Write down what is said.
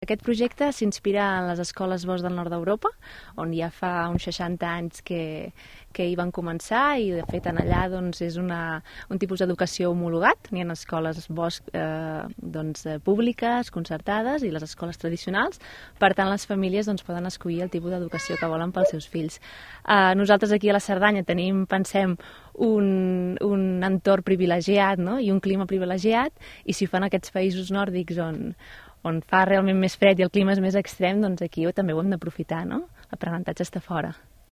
Aquest projecte s'inspira en les escoles Bosch del nord d'Europa, on ja fa uns 60 anys que hi van començar i de fet allà és un tipus d'educació homologat. N'hi ha escoles Bosch públiques, concertades i les escoles tradicionals. Per tant, les famílies poden escollir el tipus d'educació que volen pels seus fills. Nosaltres aquí a la Cerdanya pensem, un entorn privilegiat, no? I un clima privilegiat, i si ho fan aquests països nòrdics on fa realment més fred i el clima és més extrem, doncs aquí també ho hem d'aprofitar, no? L'aprenentatge està fora.